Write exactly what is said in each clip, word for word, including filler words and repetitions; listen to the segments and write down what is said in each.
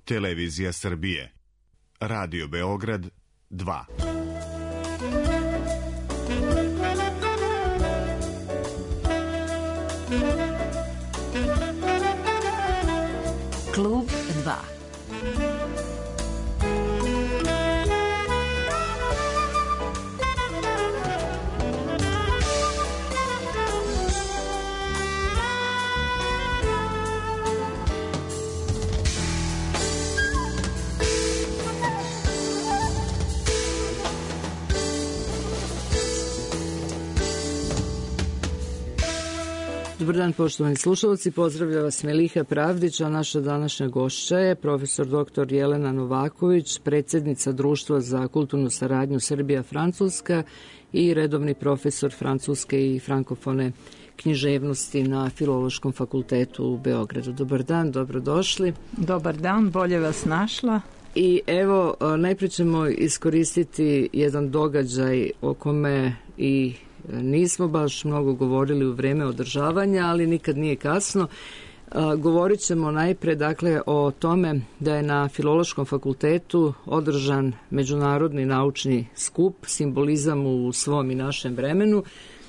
Televizija Srbije. Radio Beograd dva. Klub dva. Dobar dan, poštovani slušalci, pozdravlja vas Meliha Pravdić, a naša današnja gošća je profesor doktor Jelena Novaković, predsjednica Društva za kulturnu saradnju Srbija-Francuska i redovni profesor francuske i frankofone književnosti na Filološkom fakultetu u Beogradu. Dobar dan, dobrodošli. Dobar dan, bolje vas našla. I evo, najprije ćemo iskoristiti jedan događaj o kome i nismo baš mnogo govorili u vreme održavanja, ali nikad nije kasno. Govorit ćemo najpre dakle o tome da je na Filološkom fakultetu održan međunarodni naučni skup Simbolizam u svom i našem vremenu,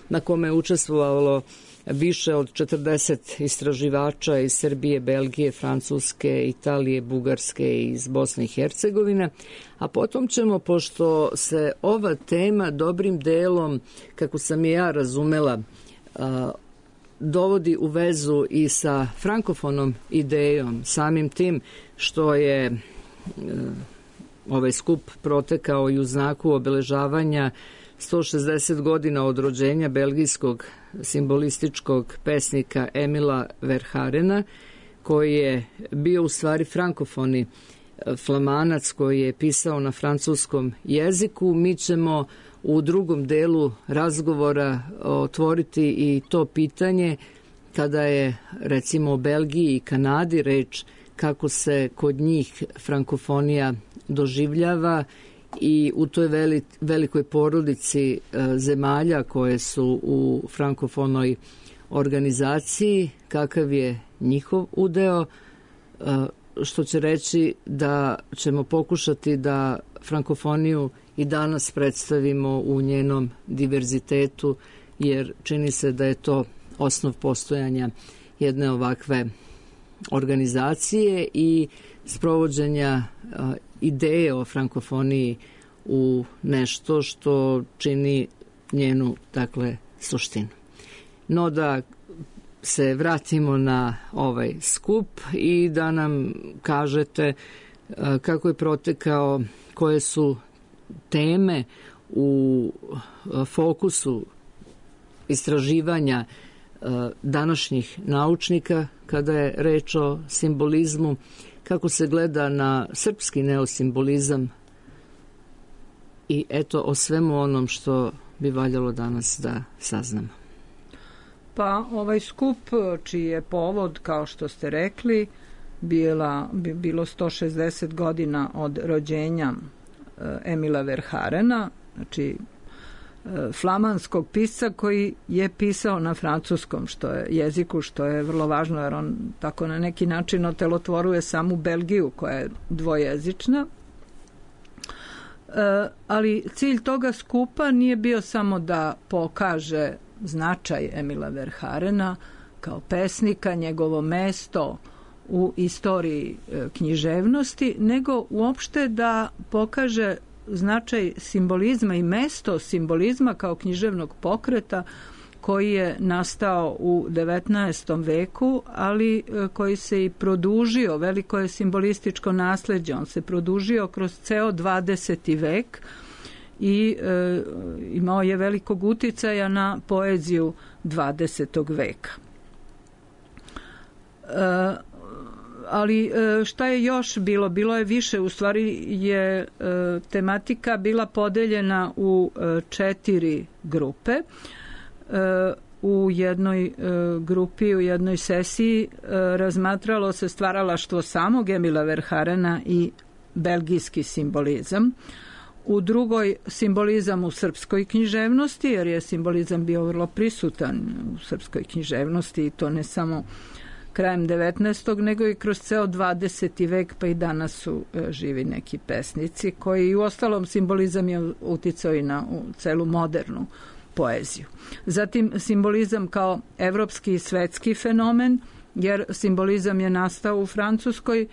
na kome je učestvovalo više od četrdeset istraživača iz Srbije, Belgije, Francuske, Italije, Bugarske i iz Bosne i Hercegovine. A potom ćemo, pošto se ova tema dobrim delom, kako sam je ja razumela, dovodi u vezu i sa frankofonom idejom, samim tim što je ovaj skup protekao i u znaku obeležavanja sto šezdeset godina od rođenja belgijskog simbolističkog pesnika Emila Verharena, koji je bio u stvari frankofoni flamanac koji je pisao na francuskom jeziku. Mi ćemo u drugom delu razgovora otvoriti i to pitanje kada je recimo o Belgiji i Kanadi reč, kako se kod njih frankofonija doživljava i u toj veli, velikoj porodici e, zemalja koje su u frankofonoj organizaciji, kakav je njihov udeo, e, što će reći da ćemo pokušati da frankofoniju i danas predstavimo u njenom diverzitetu, jer čini se da je to osnov postojanja jedne ovakve organizacije i sprovođenja a, ideje o frankofoniji u nešto što čini njenu, dakle, suštinu. No da se vratimo na ovaj skup i da nam kažete a, kako je protekao, koje su teme u a, fokusu istraživanja a, današnjih naučnika kada je reč o simbolizmu, kako se gleda na srpski neosimbolizam i eto o svemu onom što bi valjalo danas da saznamo. Pa ovaj skup, čiji je povod, kao što ste rekli, bila, bi bilo sto šezdeset godina od rođenja Emila Verharena, znači flamanskog pisca koji je pisao na francuskom što je jeziku, što je vrlo važno jer on tako na neki način otelotvoruje samu Belgiju koja je dvojezična. E, ali cilj toga skupa nije bio samo da pokaže značaj Emila Verharena kao pesnika, njegovo mesto u istoriji e, književnosti, nego uopšte da pokaže značaj simbolizma i mesto simbolizma kao književnog pokreta koji je nastao u devetnaestom veku, ali koji se i produžio, veliko je simbolističko nasleđe, on se produžio kroz ceo dvadeseti vek i e, imao je velikog uticaja na poeziju dvadesetog veka. E, ali šta je još bilo? Bilo je više, u stvari je tematika bila podeljena u četiri grupe. U jednoj grupi, u jednoj sesiji razmatralo se stvaralaštvo samog Emila Verharena i belgijski simbolizam. U drugoj simbolizam u srpskoj književnosti, jer je simbolizam bio vrlo prisutan u srpskoj književnosti i to ne samo krajem devetnaestog nego i kroz ceo dvadeseti vek, pa i danas su živi neki pesnici koji u ostalom simbolizam je uticao i na u celu modernu poeziju. Zatim simbolizam kao evropski i svetski fenomen, jer simbolizam je nastao u Francuskoj,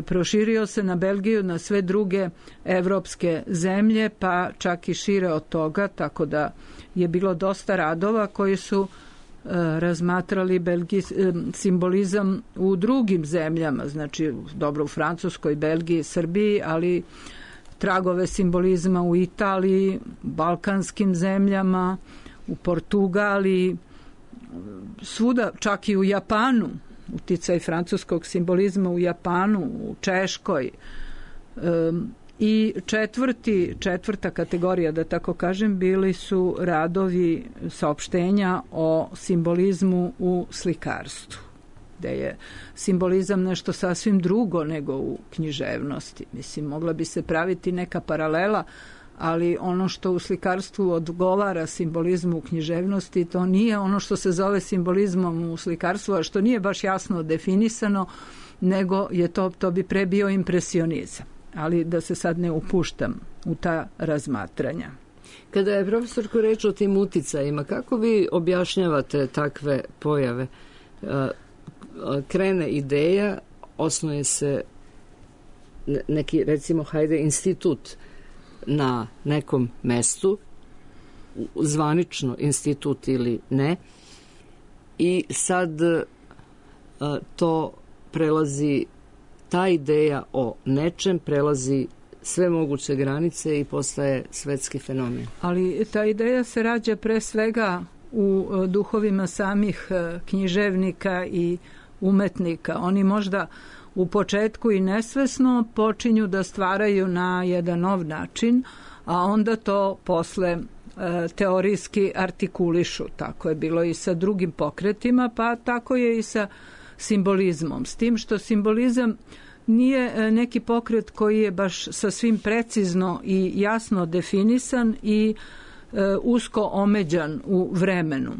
proširio se na Belgiju, na sve druge evropske zemlje, pa čak i šire od toga, tako da je bilo dosta radova koji su e, razmatrali Belgiji, e, simbolizam u drugim zemljama, znači dobro u Francuskoj, Belgiji, Srbiji, ali tragove simbolizma u Italiji, balkanskim zemljama, u Portugaliji, svuda, čak i u Japanu, uticaj francuskog simbolizma u Japanu, u Češkoj. Um, I četvrti, četvrta kategorija, da tako kažem, bili su radovi saopštenja o simbolizmu u slikarstvu, gde je simbolizam nešto sasvim drugo nego u književnosti. Mislim, mogla bi se praviti neka paralela, ali ono što u slikarstvu odgovara simbolizmu u književnosti, to nije ono što se zove simbolizmom u slikarstvu, a što nije baš jasno definisano, nego je to, to bi pre bio impresionizam. Ali da se sad ne upuštam u ta razmatranja. Kada je profesorko reč o tim uticajima, kako vi objašnjavate takve pojave? Krene ideja, osnuje se neki, recimo, hajde, institut na nekom mestu, zvanično institut ili ne, i sad to prelazi, ta ideja o nečem prelazi sve moguće granice i postaje svetski fenomen. Ali ta ideja se rađa pre svega u duhovima samih književnika i umetnika. Oni možda u početku i nesvesno počinju da stvaraju na jedan nov način, a onda to posle e, teorijski artikulišu. Tako je bilo i sa drugim pokretima, pa tako je i sa simbolizmom. S tim što simbolizam nije neki pokret koji je baš sasvim precizno i jasno definisan i e, usko omeđan u vremenu,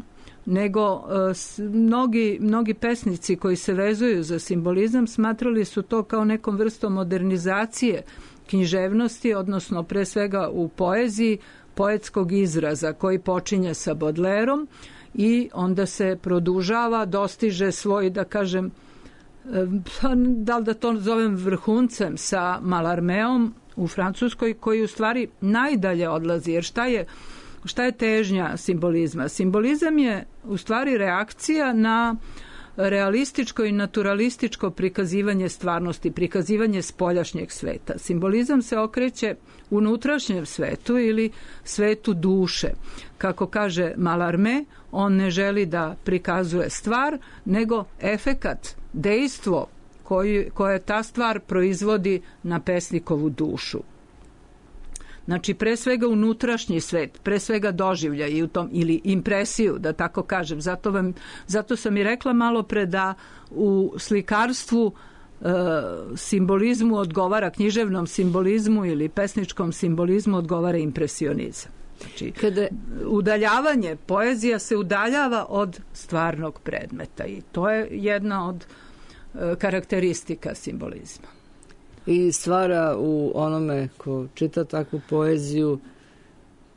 nego e, s, mnogi, mnogi pesnici koji se vezuju za simbolizam smatrali su to kao nekom vrstom modernizacije književnosti, odnosno pre svega u poeziji, poetskog izraza koji počinje sa Baudelaireom i onda se produžava, dostiže svoj, da kažem, da li da to zovem vrhuncem sa Mallarméom u Francuskoj, koji u stvari najdalje odlazi, jer šta je, šta je težnja simbolizma? Simbolizam je u stvari reakcija na realističko i naturalističko prikazivanje stvarnosti, prikazivanje spoljašnjeg sveta. Simbolizam se okreće unutrašnjem svetu ili svetu duše. Kako kaže Mallarmé, on ne želi da prikazuje stvar, nego efekat, dejstvo koji, koje ta stvar proizvodi na pesnikovu dušu. Znači, pre svega unutrašnji svet, pre svega doživlja i u tom, ili impresiju, da tako kažem. Zato, vam, zato sam i rekla malo pre da u slikarstvu e, simbolizmu odgovara, književnom simbolizmu ili pesničkom simbolizmu odgovara impresionizam. Znači, kada udaljavanje, poezija se udaljava od stvarnog predmeta i to je jedna od e, karakteristika simbolizma. I stvara u onome ko čita takvu poeziju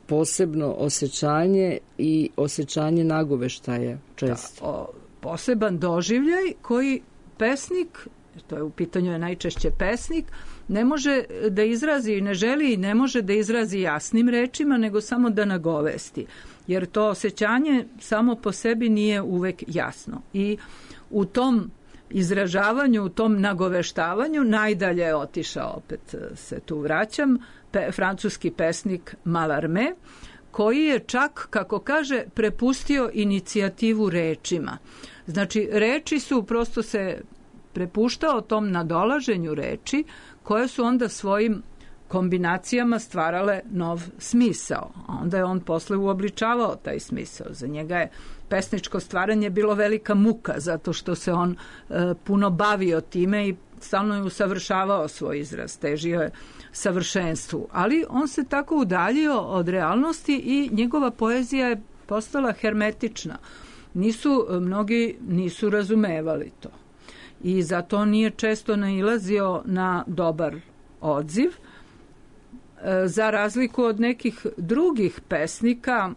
posebno osjećanje i osjećanje nagoveštaja često. Da, o, poseban doživljaj koji pesnik, to je u pitanju je najčešće pesnik, ne može da izrazi i ne želi i ne može da izrazi jasnim rečima, nego samo da nagovesti. Jer to osjećanje samo po sebi nije uvek jasno. I u tom izražavanju, u tom nagoveštavanju najdalje je otišao, opet se tu vraćam, pe, francuski pesnik Mallarmé, koji je čak, kako kaže, prepustio inicijativu rečima. Znači, reči su, prosto se prepuštao tom nadolaženju reči, koje su onda svojim kombinacijama stvarale nov smisao. A onda je on posle uobličavao taj smisao. Za njega je pesničko stvaranje bilo velika muka, zato što se on e, puno bavio time i stalno je usavršavao svoj izraz, težio je savršenstvu. Ali on se tako udaljio od realnosti i njegova poezija je postala hermetična. nisu, mnogi nisu razumevali to. I zato nije često nailazio na dobar odziv. Za razliku od nekih drugih pesnika,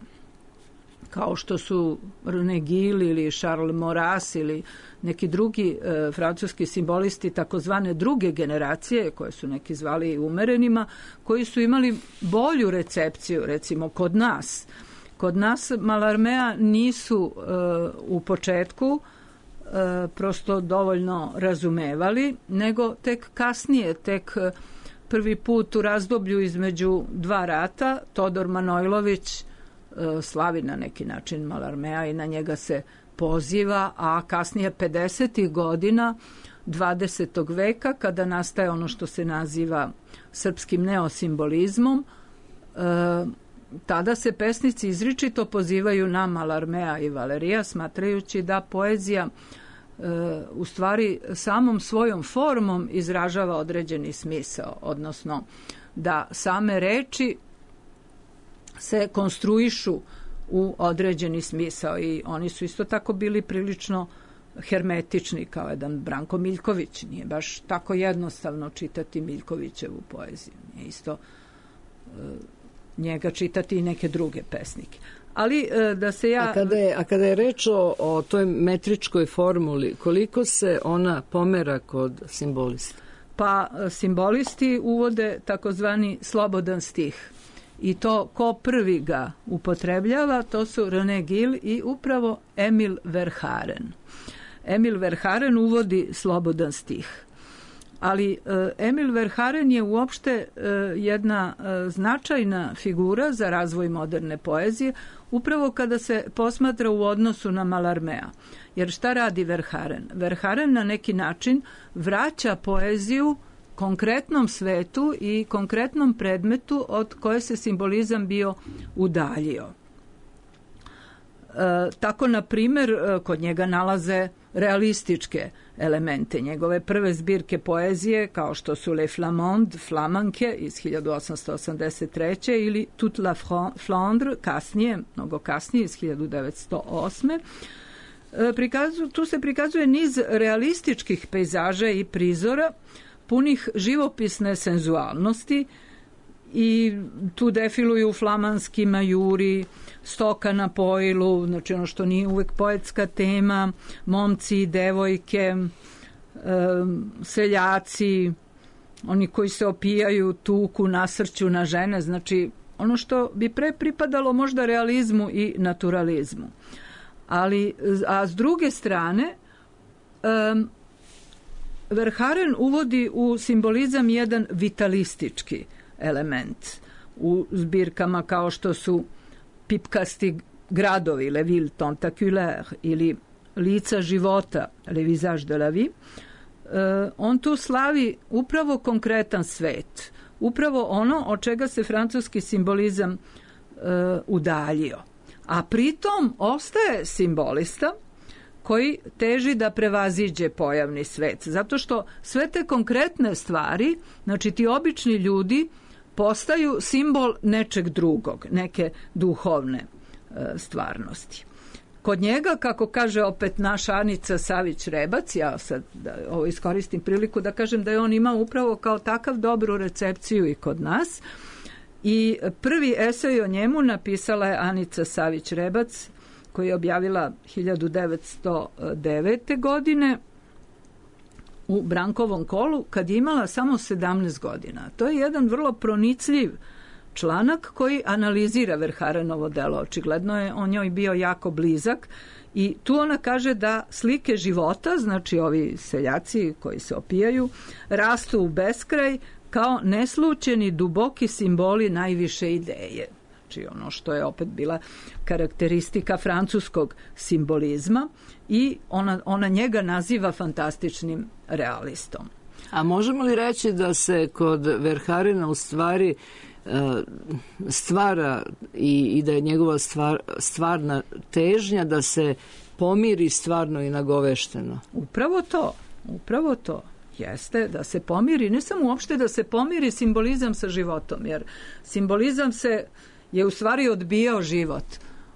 kao što su René Gil ili Charles Maurras ili neki drugi e, francuski simbolisti takozvane druge generacije, koje su neki zvali umerenima, koji su imali bolju recepciju, recimo kod nas. Kod nas Mallarmea nisu e, u početku e, prosto dovoljno razumevali, nego tek kasnije, tek prvi put u razdoblju između dva rata, Todor Manojlović slavi na neki način Mallarmea i na njega se poziva, a kasnije pedesetih godina dvadesetog veka, kada nastaje ono što se naziva srpskim neosimbolizmom, e, tada se pesnici izričito pozivaju na Mallarmea i Valerija, smatrajući da poezija e, u stvari samom svojom formom izražava određeni smisao, odnosno da same reči se konstruišu u određeni smisao i oni su isto tako bili prilično hermetični kao jedan Branko Miljković. Nije baš tako jednostavno čitati Miljkovićevu poeziju. Nije isto e, njega čitati i neke druge pesnike. Ali e, da se ja... A kada je, a kada je reč o, o toj metričkoj formuli, koliko se ona pomera kod simbolista? Pa simbolisti uvode takozvani slobodan stih. I to ko prvi ga upotrebljava, to su René Gil i upravo Emil Verhaeren. Emil Verhaeren uvodi slobodan stih. Ali e, Emil Verhaeren je uopšte e, jedna e, značajna figura za razvoj moderne poezije, upravo kada se posmatra u odnosu na Mallarmea. Jer šta radi Verhaeren? Verhaeren na neki način vraća poeziju konkretnom svetu i konkretnom predmetu od koje se simbolizam bio udaljio. E, tako, na primjer, kod njega nalaze realističke elemente. Njegove prve zbirke poezije, kao što su Les Flamandes, Flamanke iz hiljadu osamsto osamdeset treće ili Toute la Flandre, kasnije, mnogo kasnije, iz hiljadu devetsto osme. E, prikazu, tu se prikazuje niz realističkih pejzaža i prizora, punih živopisne senzualnosti i tu defiluju flamanski majuri, stoka na pojilu, znači ono što nije uvek poetska tema, momci i devojke, e, seljaci, oni koji se opijaju, tuku, nasrću na žene, znači ono što bi pre pripadalo možda realizmu i naturalizmu. Ali, a s druge strane, e, Verhaeren uvodi u simbolizam jedan vitalistički element u zbirkama kao što su pipkasti gradovi, Le Ville Tentaculaire, ili lica života, Le Visage de la Vie. E, on tu slavi upravo konkretan svet, upravo ono od čega se francuski simbolizam e, udaljio. A pritom ostaje simbolista koji teži da prevaziđe pojavni svet. Zato što sve te konkretne stvari, znači ti obični ljudi, postaju simbol nečeg drugog, neke duhovne e, stvarnosti. Kod njega, kako kaže opet naša Anica Savić-Rebac, ja sad da, ovo iskoristim priliku da kažem da je on imao upravo kao takav dobru recepciju i kod nas, i prvi esej o njemu napisala je Anica Savić-Rebac, koji je objavila hiljadu devetsto devete. godine u Brankovom kolu, kad je imala samo sedamnaest godina. To je jedan vrlo pronicljiv članak koji analizira Verhaerenovo delo. Očigledno je on njoj bio jako blizak i tu ona kaže da slike života, znači ovi seljaci koji se opijaju, rastu u beskraj kao neslučeni duboki simboli najviše ideje. Znači ono što je opet bila karakteristika francuskog simbolizma i ona, ona njega naziva fantastičnim realistom. A možemo li reći da se kod Verhaerena u stvari stvara i, i da je njegova stvar, stvarna težnja da se pomiri stvarno i nagovešteno? Upravo to, upravo to. Jeste da se pomiri, ne samo uopšte da se pomiri simbolizam sa životom, jer simbolizam se je u stvari odbijao život,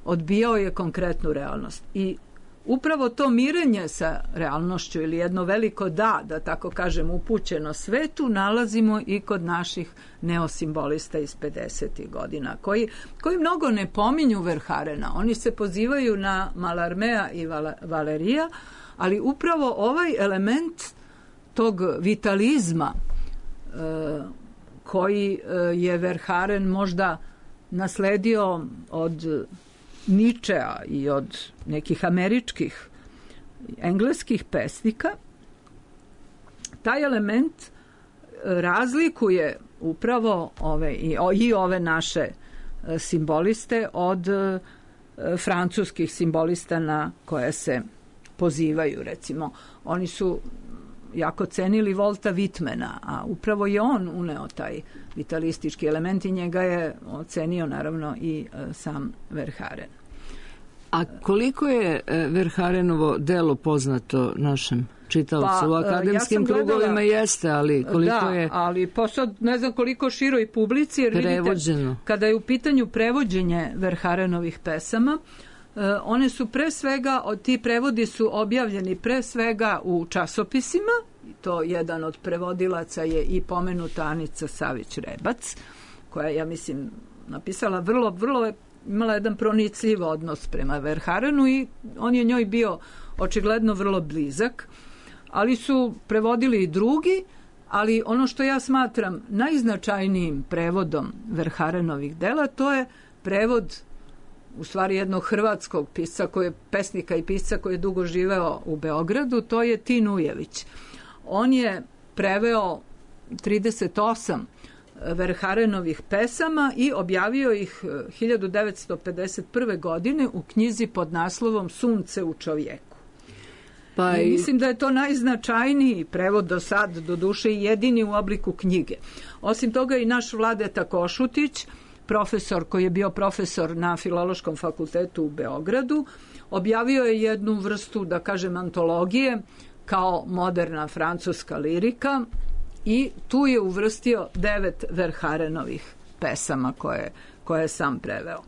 odbijao je konkretnu realnost. I upravo to mirenje sa realnošću ili jedno veliko da, da tako kažem, upućeno svetu, nalazimo i kod naših neosimbolista iz pedesetih godina, koji, koji mnogo ne pominju Verharena. Oni se pozivaju na Mallarmea i Valerija, ali upravo ovaj element tog vitalizma e, koji je Verharen možda nasledio od Ničea i od nekih američkih, engleskih pesnika, taj element razlikuje upravo ove, i, i ove naše simboliste od francuskih simbolista na koje se pozivaju. Recimo, oni su jako cenili Volta Whitmana, a upravo je on uneo taj vitalistički element i njega je ocenio naravno i sam Verharen. A koliko je Verharenovo delo poznato našem čitaocu? Pa, u akademskim ja gledala, krugovima jeste, ali koliko da, je... Da, ali posad ne znam koliko široj publici, jer prevođeno. Vidite, kada je u pitanju prevođenje Verharenovih pesama, one su pre svega, ti prevodi su objavljeni pre svega u časopisima, to jedan od prevodilaca je i pomenuta Anica Savić-Rebac, koja, ja mislim, napisala vrlo, vrlo, imala jedan pronicljiv odnos prema Verharenu i on je njoj bio očigledno vrlo blizak, ali su prevodili i drugi, ali ono što ja smatram najznačajnijim prevodom Verharenovih dela, to je prevod u stvari jednog hrvatskog pisca, koji je pesnika i pisca koji je dugo živeo u Beogradu, to je Tin Ujević. On je preveo trideset osam Verharenovih pesama i objavio ih hiljadu devetsto pedeset prve. godine u knjizi pod naslovom Sunce u čovjeku. Pa i... Mislim da je to najznačajniji prevod do sad, do duše i jedini u obliku knjige. Osim toga i naš Vladeta Košutić, profesor koji je bio profesor na Filološkom fakultetu u Beogradu, objavio je jednu vrstu, da kažem, antologije kao moderna francuska lirika i tu je uvrstio devet Verharenovih pesama koje, koje je sam preveo.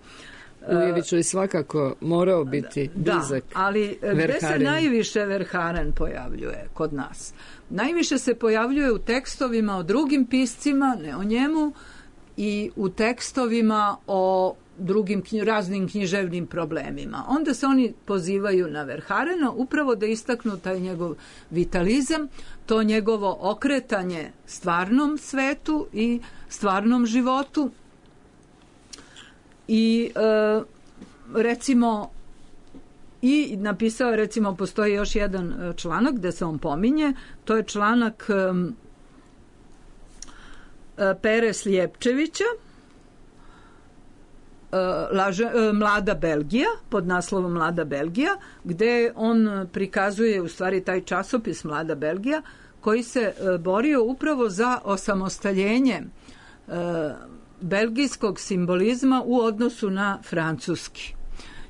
Ujević je svakako morao biti blizak. Da, ali gde se najviše Verharen pojavljuje kod nas? Najviše se pojavljuje u tekstovima o drugim piscima, ne o njemu, i u tekstovima o drugim raznim književnim problemima. Onda se oni pozivaju na Verharena upravo da istaknu taj njegov vitalizam, to njegovo okretanje stvarnom svetu i stvarnom životu. I e, recimo i napisao, recimo, postoji još jedan članak gde se on pominje, to je članak e, Pere Slijepčevića, Laže, Mlada Belgija, pod naslovom Mlada Belgija, gde on prikazuje u stvari taj časopis Mlada Belgija, koji se borio upravo za osamostaljenje e, belgijskog simbolizma u odnosu na francuski.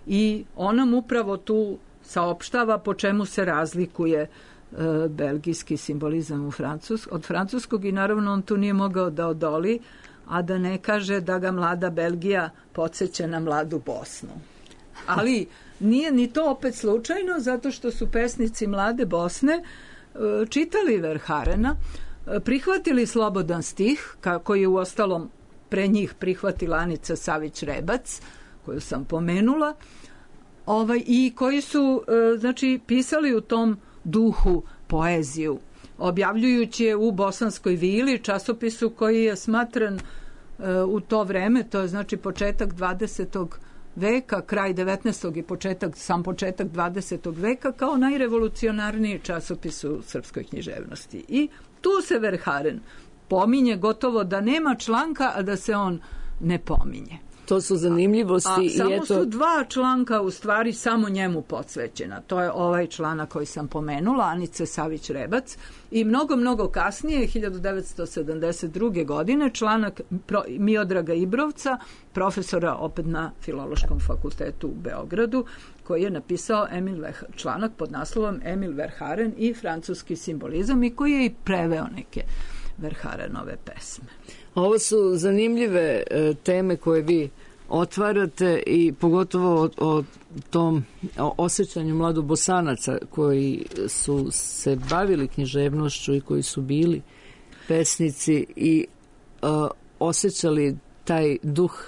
I on nam upravo tu saopštava po čemu se razlikuje e, belgijski simbolizam u Francus, od francuskog, i naravno on tu nije mogao da odoli, a da ne kaže da ga Mlada Belgija podsjeća na Mladu Bosnu. Ali nije ni to opet slučajno, zato što su pesnici Mlade Bosne čitali Verharena, prihvatili slobodan stih, koji je uostalom pre njih prihvatila Anica Savić-Rebac, koju sam pomenula, ovaj, i koji su znači pisali u tom duhu poeziju, objavljujući je u Bosanskoj vili, časopisu koji je smatran e, u to vreme, to je znači početak dvadesetog veka, kraj devetnaestog i početak, sam početak dvadesetog veka, kao najrevolucionarniji časopis u srpskoj književnosti. I tu se Verharen pominje, gotovo da nema članka, a da se on ne pominje. To su zanimljivosti. A, a i samo eto... su dva članka u stvari samo njemu posvećena. To je ovaj članak koji sam pomenula, Anice Savić-Rebac, i mnogo, mnogo kasnije, hiljadu devetsto sedamdeset druge. godine, članak Miodraga Ibrovca, profesora opet na Filološkom fakultetu u Beogradu, koji je napisao Emil Verharen, članak pod naslovom Emil Verharen i francuski simbolizam, i koji je i preveo neke Verharenove pesme. Ovo su zanimljive e, teme koje vi otvarate i pogotovo o, o tom o osjećanju mladobosanaca koji su se bavili književnošću i koji su bili pesnici i uh, osjećali taj duh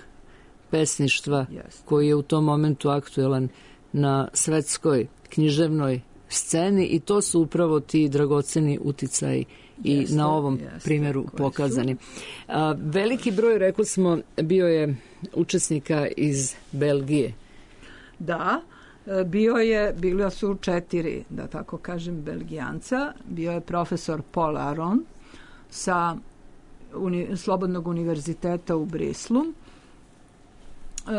pesništva yes. koji je u tom momentu aktuelan na svetskoj književnoj sceni i to su upravo ti dragoceni uticaji i jeste, na ovom jeste, primjeru pokazani. A, veliki broj, rekli smo, bio je učesnika iz Belgije. Da, bio je, bilo su četiri, da tako kažem, Belgijanca. Bio je profesor Paul Aron sa uni, Slobodnog univerziteta u Brislu.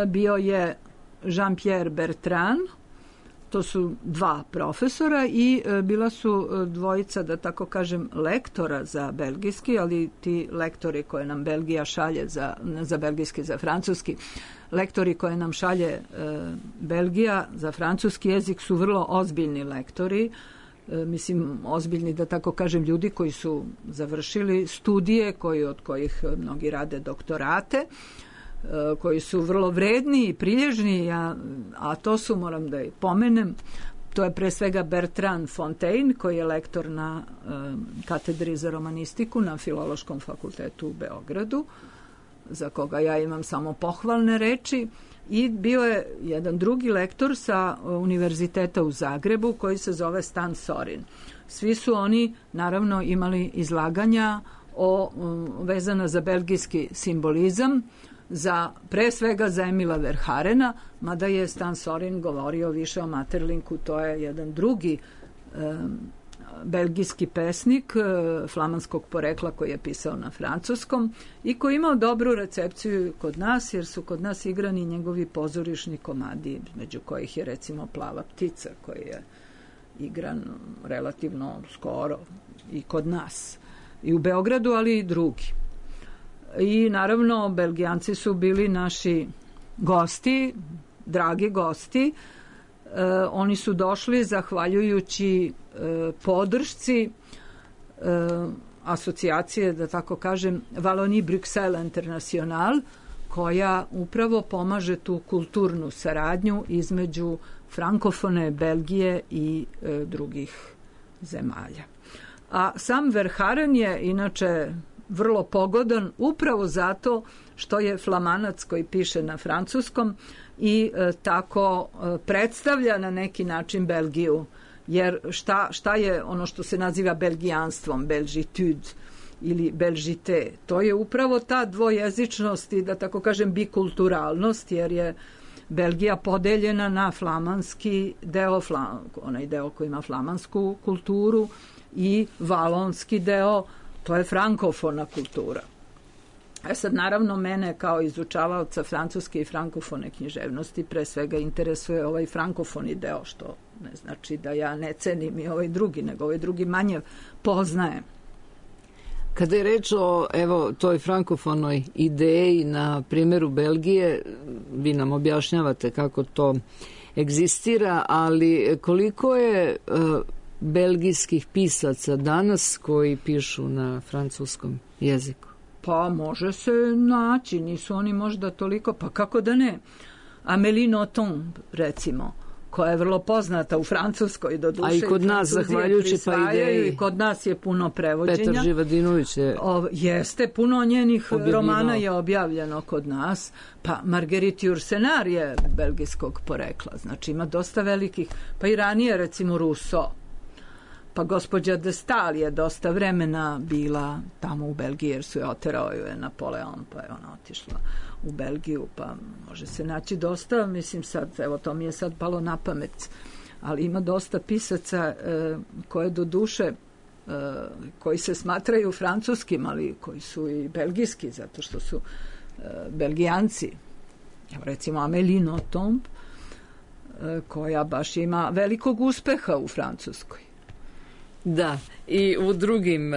Bio je Jean-Pierre Bertrand, to su dva profesora i e, bila su dvojica, da tako kažem, lektora za belgijski, ali ti lektori koje nam Belgija šalje za, za belgijski, za francuski, lektori koje nam šalje e, Belgija za francuski jezik su vrlo ozbiljni lektori, e, mislim, ozbiljni, da tako kažem, ljudi koji su završili studije, koji, od kojih mnogi rade doktorate, koji su vrlo vredni i prilježni, a, a to su, moram da i pomenem, to je pre svega Bertrand Fontaine, koji je lektor na e, katedri za romanistiku na Filološkom fakultetu u Beogradu, za koga ja imam samo pohvalne reči, i bio je jedan drugi lektor sa univerziteta u Zagrebu koji se zove Stan Sorin. Svi su oni, naravno, imali izlaganja o, vezana za belgijski simbolizam, za, pre svega za Emila Verharena, mada je Stan Sorin govorio više o Maeterlincu, to je jedan drugi e, belgijski pesnik e, flamanskog porekla koji je pisao na francuskom i koji imao dobru recepciju kod nas, jer su kod nas igrani njegovi pozorišni komadi, među kojih je recimo Plava ptica, koji je igran relativno skoro i kod nas, i u Beogradu, ali i drugi. I naravno, Belgijanci su bili naši gosti, dragi gosti. E, oni su došli zahvaljujući e, podršci e, asocijacije, da tako kažem, Wallonie-Bruxelles International, koja upravo pomaže tu kulturnu saradnju između frankofone Belgije i e, drugih zemalja. A sam Verhaeren je inače vrlo pogodan upravo zato što je flamanac koji piše na francuskom i e, tako e, predstavlja na neki način Belgiju. Jer šta, šta je ono što se naziva belgijanstvom, belgitude ili belgite? To je upravo ta dvojezičnost i, da tako kažem, bikulturalnost, jer je Belgija podeljena na flamanski deo, flam, onaj deo koji ima flamansku kulturu, i valonski deo, to je frankofona kultura. E sad, naravno, mene kao izučavaoca francuske i frankofone književnosti pre svega interesuje ovaj frankofoni deo, što ne znači da ja ne cenim i ovaj drugi, nego ovaj drugi manje poznajem. Kada je reč o, evo, toj frankofonoj ideji na primjeru Belgije, vi nam objašnjavate kako to egzistira, ali koliko je uh, belgijskih pisaca danas koji pišu na francuskom jeziku? Pa može se naći, nisu oni možda toliko, pa kako da ne. Amélie Nothomb, recimo, koja je vrlo poznata u Francuskoj, do duše. A i kod nas, zahvaljujući pa ideji. I kod nas je puno prevođenja. Petar Živadinović je... O, jeste, puno njenih objavljeno. Romana je objavljeno kod nas. Pa Marguerite Yourcenar je belgijskog porekla, znači ima dosta velikih. Pa i ranije, recimo, Rousseau. Pa gospođa de Stael je dosta vremena bila tamo u Belgiji, jer su je oterao je Napoleon, pa je ona otišla u Belgiju, pa može se naći dosta, mislim sad, evo to mi je sad palo na pamet, ali ima dosta pisaca e, koje do duše, e, koji se smatraju francuskim, ali koji su i belgijski, zato što su e, Belgijanci. Evo recimo Amélie Nothomb, e, koja baš ima velikog uspeha u Francuskoj. Da, i u drugim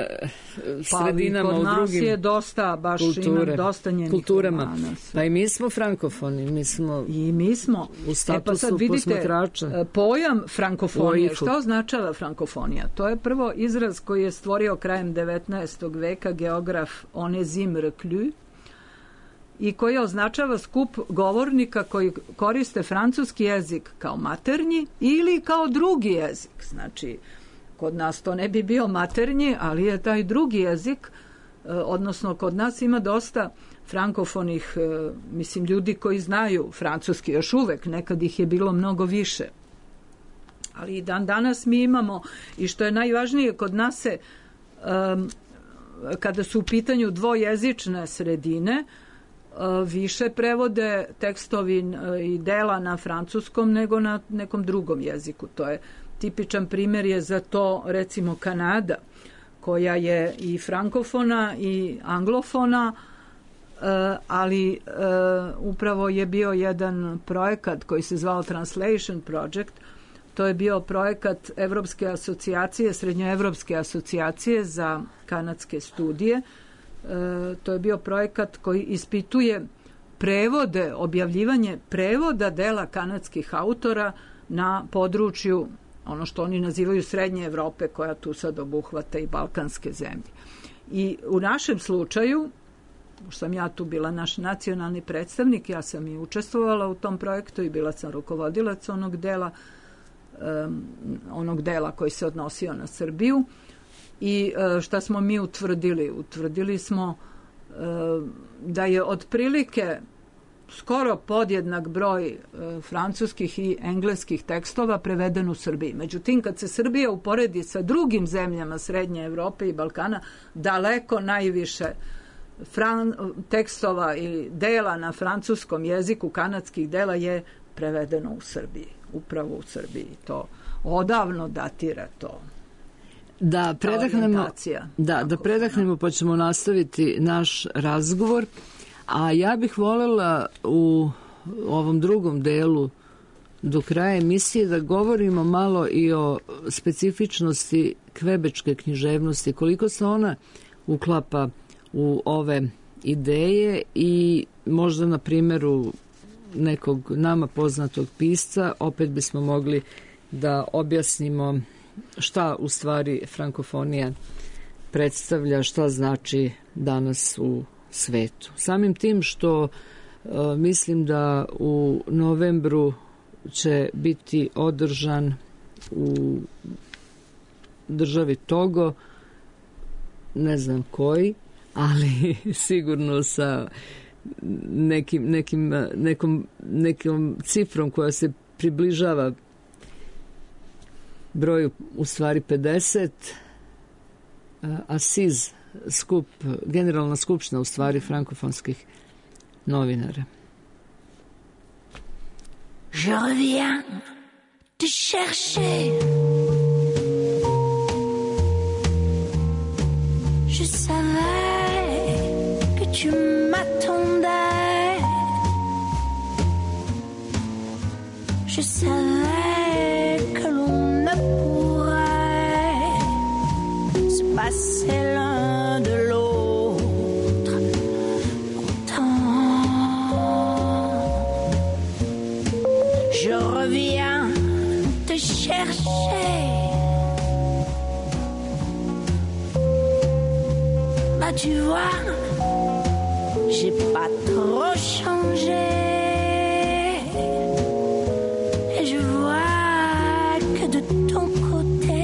sredinama, pa, u drugim... Kod nas je dosta, baš kulture, imam dosta njenih kulturama. romana. Pa i mi smo frankofoni, mi smo, I mi smo u statusu e pa sad vidite, posmatrača. Pojam frankofonije, šta označava frankofonija? To je prvo izraz koji je stvorio krajem devetnaestog veka geograf Onésime Reclus i koji označava skup govornika koji koriste francuski jezik kao maternji ili kao drugi jezik. Znači, kod nas to ne bi bio maternji, ali je taj drugi jezik, odnosno kod nas ima dosta frankofonih, mislim, ljudi koji znaju francuski još uvek, nekad ih je bilo mnogo više. Ali i dan danas mi imamo, i što je najvažnije, kod nas se, um, kada su u pitanju dvojezične sredine, uh, više prevode tekstovi i dela na francuskom nego na nekom drugom jeziku. To je tipičan primjer je za to, recimo, Kanada, koja je i frankofona i anglofona, ali upravo je bio jedan projekat koji se zvao Translation Project. To je bio projekat Evropske asocijacije, Srednjoevropske asocijacije za kanadske studije. To je bio projekat koji ispituje prevode, objavljivanje prevoda dela kanadskih autora na području, ono što oni nazivaju Srednje Evrope, koja tu sad obuhvata i balkanske zemlje. I u našem slučaju, sam ja tu bila naš nacionalni predstavnik, ja sam i učestvovala u tom projektu i bila sam rukovodilac onog dela, um, onog dela koji se odnosio na Srbiju. I uh, šta smo mi utvrdili? Utvrdili smo uh, da je otprilike skoro podjednak broj uh, francuskih i engleskih tekstova preveden u Srbiji. Međutim, kad se Srbija uporedi sa drugim zemljama Srednje Evrope i Balkana, daleko najviše Fran, tekstova i dela na francuskom jeziku, kanadskih dela, je prevedeno u Srbiji, upravo u Srbiji. To odavno datira to. Da predahnemo, da, da predahnemo pa ćemo nastaviti naš razgovor, a ja bih voljela u ovom drugom delu do kraja emisije da govorimo malo i o specifičnosti kvebečke književnosti, koliko se ona uklapa u ove ideje i možda na primjeru nekog nama poznatog pisca opet bismo mogli da objasnimo šta u stvari frankofonija predstavlja, šta znači danas u svetu. Samim tim što e, mislim da u novembru će biti održan u državi Togo, ne znam koji, ali sigurno sa nekim, nekim, nekom, nekom cifrom koja se približava broju u stvari pedeset, Asiz, skup, generalna skupština u stvari frankofonskih novinara. Je reviens te chercher. Je savais que tu m'attendais. Je savais que l'on ne pourrait se passer l'un de l'autre longtemps. Je reviens te chercher. Bah tu vois, j'ai pas trop changé. Et je vois que de ton côté,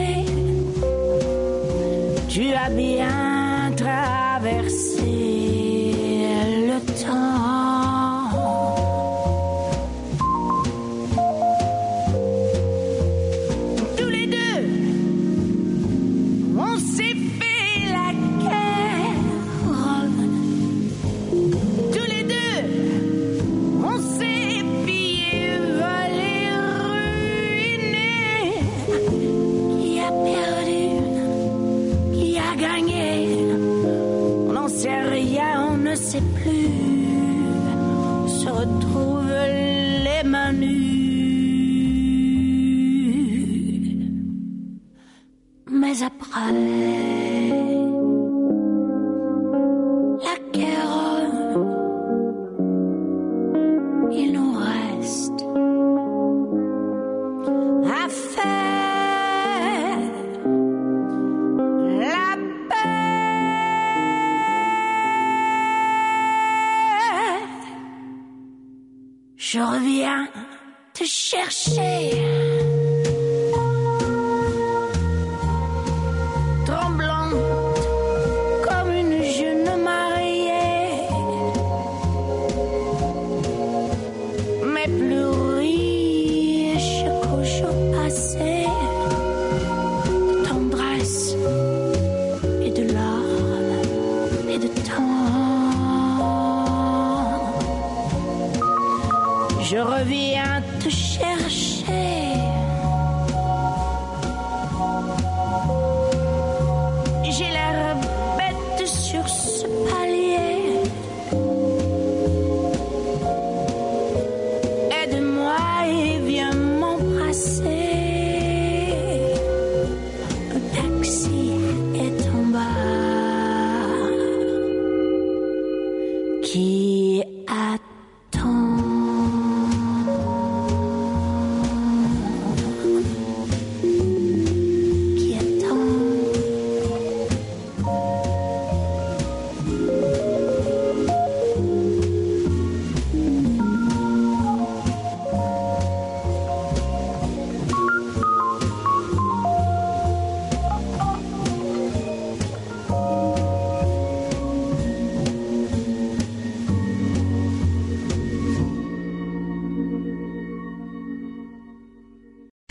tu as bien traversé le temps. Tous les deux, on s'est fait la guerre. Tous les deux, on s'est pillé, volé, ruiné. Qui a perdu? Qui a gagné? On n'en sait rien, on ne sait plus. On se retrouve les mains nues. Mais après la guerre, il nous reste à faire la paix. Je reviens te chercher. Tremblante comme une jeune mariée, mais plus riche qu'au jour passé, de tendresse et de larmes et de temps. Je reviens te chercher. J'ai l'air bête sur ce palier. Aide-moi et viens m'embrasser. Un taxi est en bas qui attend.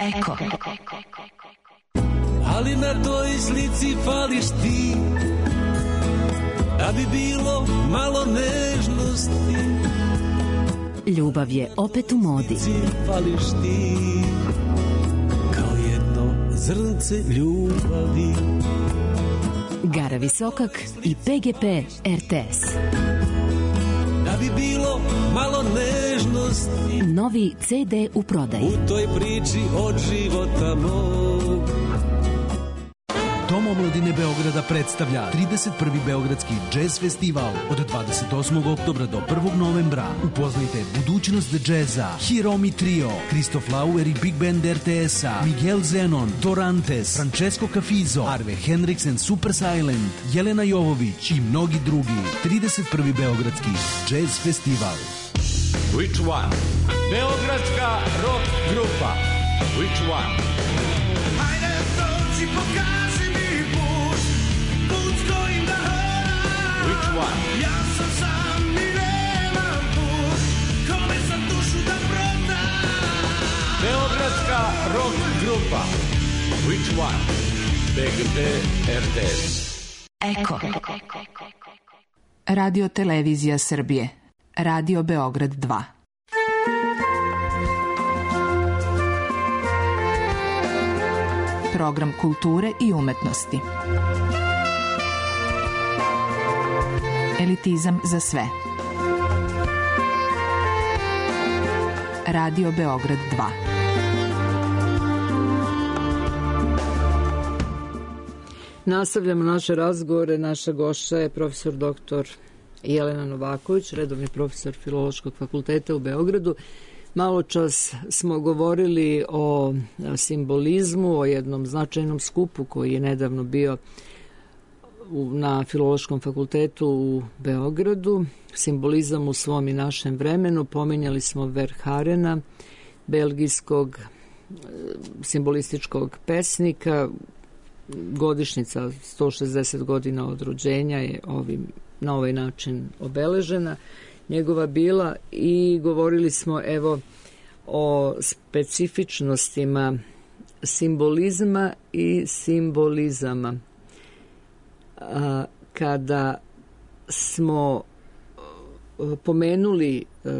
Eko. Ali na toj slici fališ ti, da bi bilo malo nežnosti. Ljubav je opet u modi. Fališ ti, kao jedno zrnce ljubavi. Gara Visokak i P G P R T S. Da bi bilo malo nežnosti. Novi C D u prodaji. U toj priči od života mog. Dom omladine Beograda predstavlja trideset prvi Beogradski džez festival od dvadeset osmog oktobra do prvog novembra. Upoznajte budućnost džeza, Hiromi Trio, Kristof Lauer i Big Band R T S-a, Miguel Zenon, Dorantes, Francesco Cafizo, Arve Hendrix and Super Silent, Jelena Jovović i mnogi drugi. trideset prvi Beogradski džez festival. Which one? Beogradska rock grupa. Which one? Hajde dođi, pokaži mi put, put s kojim da hodam. Which one? Ja sam sam i nemam put, kome sam dušu da prodam. Beogradska rock grupa. Which one? P G P R T S. Eko. Radio Televizija Srbije. Radio Beograd dva. Program kulture i umetnosti. Elitizam za sve. Radio Beograd dva. Nastavljamo naše razgovore. Naša gošća je profesor doktor Jelena Novaković, redovni profesor Filološkog fakulteta u Beogradu. Malo čas smo govorili o simbolizmu, o jednom značajnom skupu koji je nedavno bio na Filološkom fakultetu u Beogradu. Simbolizam u svom i našem vremenu. Pominjali smo Verharena, belgijskog simbolističkog pesnika. Godišnjica sto šezdeset godina od rođenja je ovim, na ovaj način obeležena njegova bila i govorili smo evo o specifičnostima simbolizma i simbolizama. A, kada smo pomenuli e,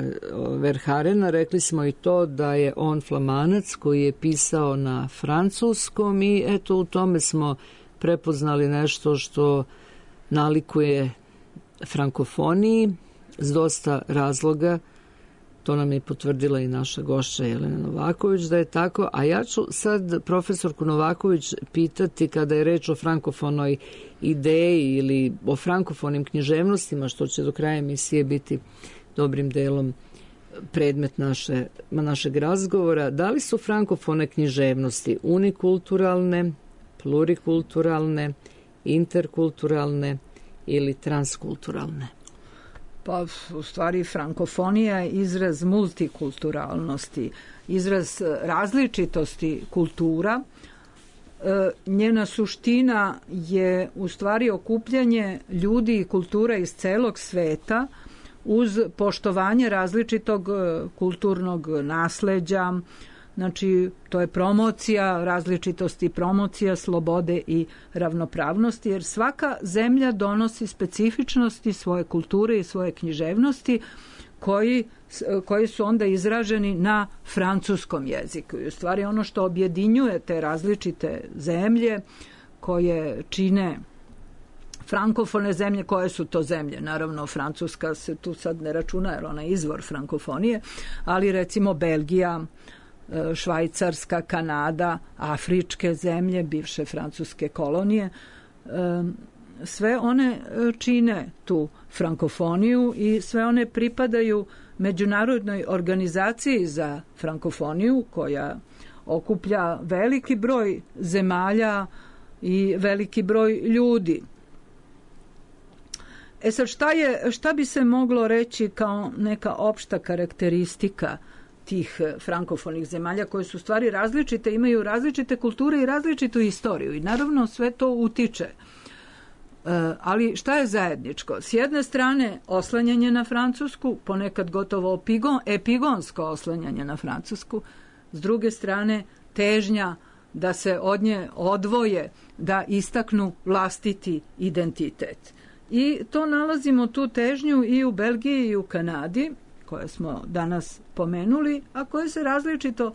Verharena, rekli smo i to da je on Flamanac koji je pisao na francuskom i eto u tome smo prepoznali nešto što nalikuje frankofoniji s dosta razloga. To nam je potvrdila i naša gošća Jelena Novaković da je tako, a ja ću sad profesorku Novaković pitati kada je reč o frankofonoj ideji ili o frankofonim književnostima, što će do kraja emisije biti dobrim delom predmet naše, našeg razgovora. Da li su frankofone književnosti unikulturalne, plurikulturalne, interkulturalne ili transkulturalne? Pa u stvari frankofonija je izraz multikulturalnosti, izraz različitosti kultura. E, njena suština je u stvari okupljanje ljudi i kultura iz celog sveta uz poštovanje različitog kulturnog nasleđa. Znači, to je promocija različitosti, promocija slobode i ravnopravnosti, jer svaka zemlja donosi specifičnosti svoje kulture i svoje književnosti koji, koji su onda izraženi na francuskom jeziku. I u stvari ono što objedinjuje te različite zemlje koje čine frankofone zemlje, koje su to zemlje? Naravno, Francuska se tu sad ne računa, jer ona je izvor frankofonije, ali recimo Belgija, Švajcarska, Kanada, afričke zemlje, bivše francuske kolonije, sve one čine tu frankofoniju i sve one pripadaju međunarodnoj organizaciji za frankofoniju koja okuplja veliki broj zemalja i veliki broj ljudi. E sad, šta, je, šta bi se moglo reći kao neka opšta karakteristika tih frankofonih zemalja koje su stvari različite, imaju različite kulture i različitu istoriju i naravno sve to utiče. E, ali šta je zajedničko? S jedne strane oslanjanje na Francusku, ponekad gotovo epigon, epigonsko oslanjanje na Francusku, s druge strane težnja da se od nje odvoje, da istaknu vlastiti identitet. I to nalazimo tu težnju i u Belgiji i u Kanadi, koje smo danas pomenuli, a koje se različito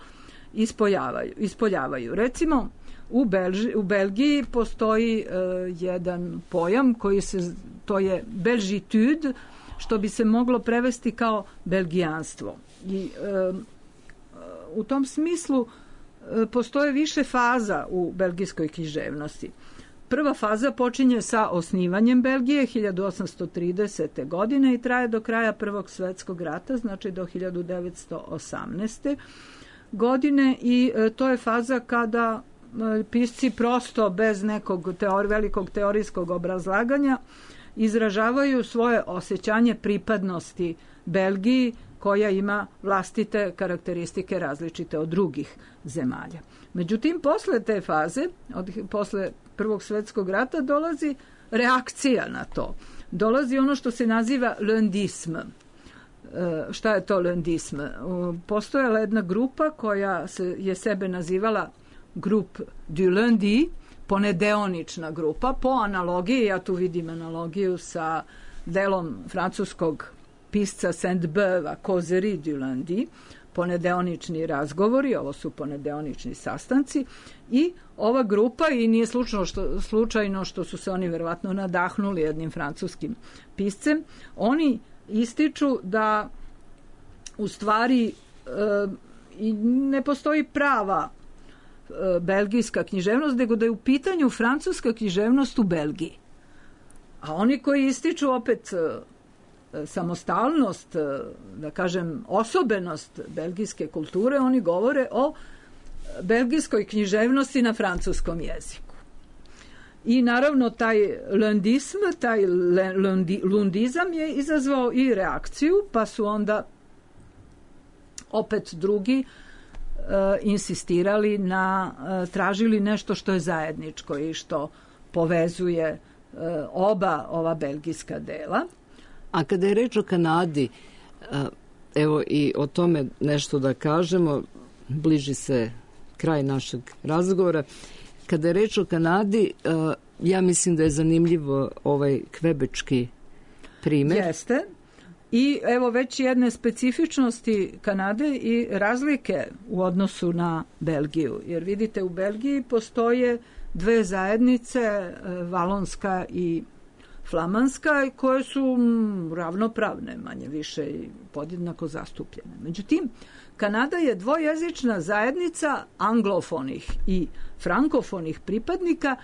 ispoljavaju. ispoljavaju. Recimo, u, Belži, u Belgiji postoji uh, jedan pojam koji se, to je belgitude, što bi se moglo prevesti kao belgijanstvo. I uh, u tom smislu uh, postoje više faza u belgijskoj književnosti. Prva faza počinje sa osnivanjem Belgije hiljadu osamsto tridesete. godine i traje do kraja Prvog svetskog rata, znači do hiljadu devetsto osamnaeste. godine i e, to je faza kada e, pisci prosto bez nekog teori, velikog teorijskog obrazlaganja izražavaju svoje osjećanje pripadnosti Belgiji koja ima vlastite karakteristike različite od drugih zemalja. Međutim, posle te faze, od, posle Prvog svetskog rata, dolazi reakcija na to. Dolazi ono što se naziva lundism. E, šta je to lundism? Postojala jedna grupa koja se, je sebe nazivala Grup du Lundi, ponedeonična grupa, po analogiji, ja tu vidim analogiju sa delom francuskog pisca Sainte-Beuve, Causerie du Lundi, ponedeonični razgovori, ovo su ponedeonični sastanci i ova grupa, i nije slučajno što, slučajno što su se oni verovatno nadahnuli jednim francuskim piscem, oni ističu da u stvari e, ne postoji prava e, belgijska književnost, nego da je u pitanju francuska književnost u Belgiji. A oni koji ističu opet samostalnost, da kažem, osobenost belgijske kulture, oni govore o belgijskoj književnosti na francuskom jeziku. I naravno taj lundism, taj lundi, lundizam je izazvao i reakciju, pa su onda opet drugi uh, insistirali na, uh, tražili nešto što je zajedničko i što povezuje uh, oba ova belgijska dela. A kada je reč o Kanadi, evo i o tome nešto da kažemo, bliži se kraj našeg razgovora. Kada je reč o Kanadi, ja mislim da je zanimljivo ovaj kvebečki primer. Jeste. I evo već jedne specifičnosti Kanade i razlike u odnosu na Belgiju. Jer vidite, u Belgiji postoje dve zajednice, valonska i flamanska, koje su ravnopravne, manje više i podjednako zastupljene. Međutim, Kanada je dvojezična zajednica anglofonih i frankofonih pripadnika,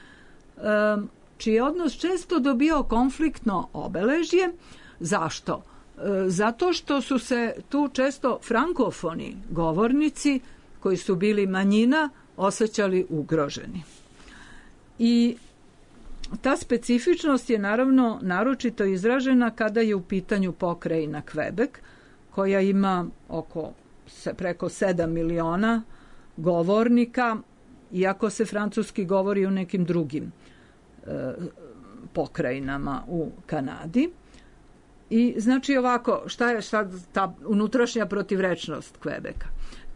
čiji je odnos često dobio konfliktno obeležje. Zašto? Zato što su se tu često frankofoni govornici, koji su bili manjina, osjećali ugroženi. I ta specifičnost je naravno naročito izražena kada je u pitanju pokrajina Quebec, koja ima oko preko sedam miliona govornika, iako se francuski govori u nekim drugim e, pokrajinama u Kanadi. I znači ovako, šta je sad ta unutrašnja protivrečnost Quebeca?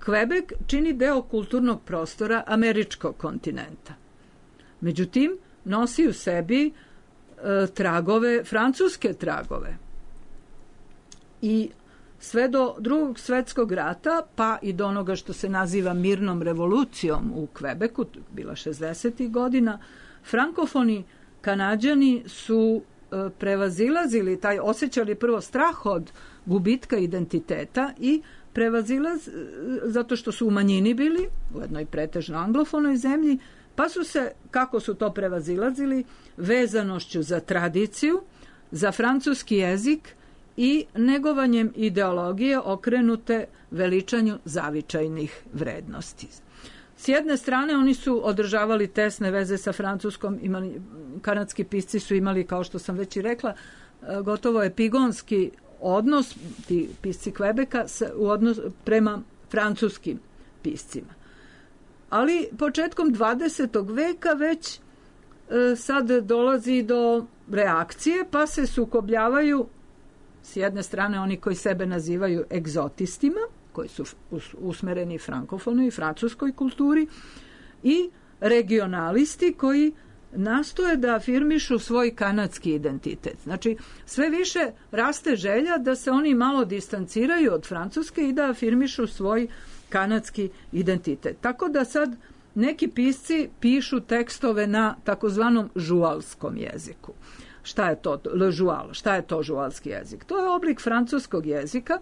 Quebec čini deo kulturnog prostora američkog kontinenta. Međutim, nosi u sebi e, tragove, francuske tragove. I sve do drugog svetskog rata, pa i do onoga što se naziva mirnom revolucijom u Quebecu, bila šezdesetih godina, frankofoni Kanađani su e, prevazilazili, taj, osjećali prvo strah od gubitka identiteta i prevazilaz, zato što su u manjini bili, u jednoj pretežno anglofonoj zemlji, pa su se, kako su to prevazilazili, vezanošću za tradiciju, za francuski jezik i negovanjem ideologije okrenute veličanju zavičajnih vrednosti. S jedne strane oni su održavali tesne veze sa Francuskom, imali, kanadski pisci su imali, kao što sam već i rekla, gotovo epigonski odnos, ti pisci Quebeca, u odnos prema francuskim piscima. Ali početkom dvadesetog veka već e, sad dolazi do reakcije, pa se sukobljavaju s jedne strane oni koji sebe nazivaju egzotistima, koji su usmereni frankofonoj i francuskoj kulturi, i regionalisti koji nastoje da afirmišu svoj kanadski identitet. Znači, sve više raste želja da se oni malo distanciraju od Francuske i da afirmišu svoj kanadski identitet. Tako da sad neki pisci pišu tekstove na takozvanom žualskom jeziku. Šta je to le žual? Šta je to žualski jezik? To je oblik francuskog jezika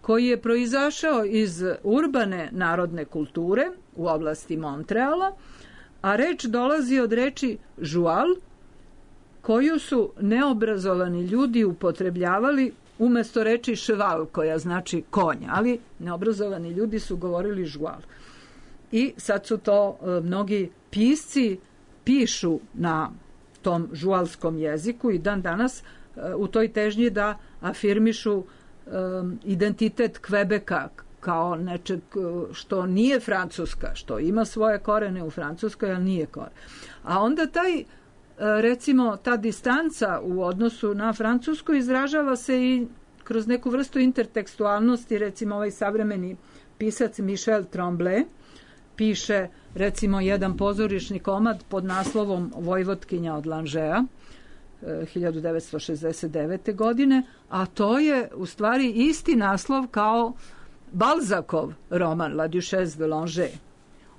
koji je proizašao iz urbane narodne kulture u oblasti Montreala, a reč dolazi od reči žual, koju su neobrazovani ljudi upotrebljavali umesto reči cheval, koja znači konja, ali neobrazovani ljudi su govorili žual. I sad su to e, mnogi pisci pišu na tom žualskom jeziku i dan danas e, u toj težnji da afirmišu e, identitet Quebeca kao nečeg što nije Francuska, što ima svoje korene u Francuskoj, ali nije koren. A onda taj, recimo, ta distanca u odnosu na Francusku izražava se i kroz neku vrstu intertekstualnosti. Recimo, ovaj savremeni pisac Michel Tremblay piše, recimo, jedan pozorišni komad pod naslovom Vojvotkinja od Langea hiljadu devetsto šezdeset devete. godine, a to je u stvari isti naslov kao Balzacov roman La Duchesse de Langeais.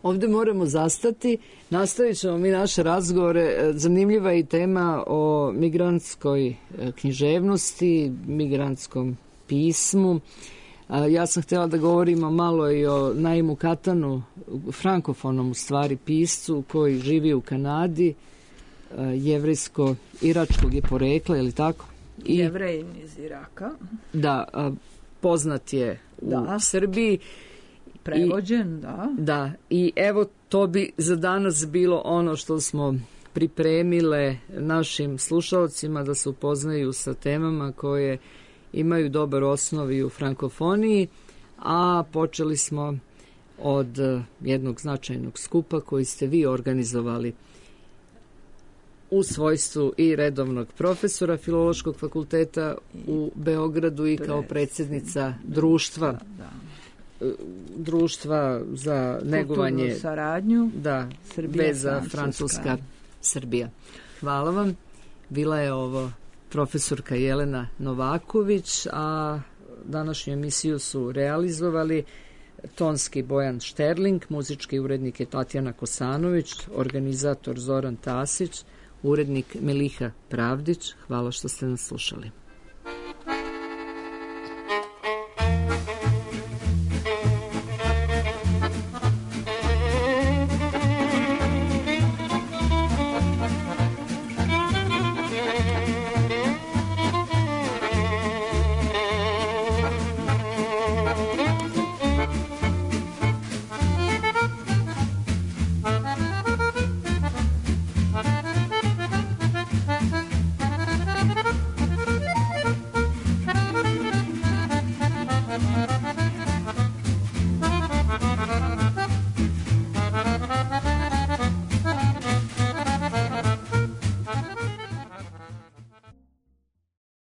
Ovde moramo zastati, nastavit ćemo mi naše razgovore. Zanimljiva je i tema o migrantskoj književnosti, migrantskom pismu. Ja sam htjela da govorimo malo i o Naimu Katanu, frankofonom u stvari piscu koji živi u Kanadi, jevrejsko-iračkog je porekla, je li tako? I, Jevrejin iz Iraka. Da, poznat je u da. Srbiji. Prevođen, I, da. Da, i evo to bi za danas bilo ono što smo pripremile našim slušalcima da se upoznaju sa temama koje imaju dobar osnov i u frankofoniji, a počeli smo od jednog značajnog skupa koji ste vi organizovali u svojstvu i redovnog profesora Filološkog fakulteta u Beogradu i kao predsjednica društva, da, da. društva za negovanje kulturnu saradnju, da, Srbija, veza Francuska. Francuska Srbija. Hvala vam. Bila je ovo profesorka Jelena Novaković, a današnju emisiju su realizovali tonski Bojan Šterling, muzički urednik je Tatjana Kosanović, organizator Zoran Tasić, urednik Meliha Pravdić. Hvala što ste nas slušali.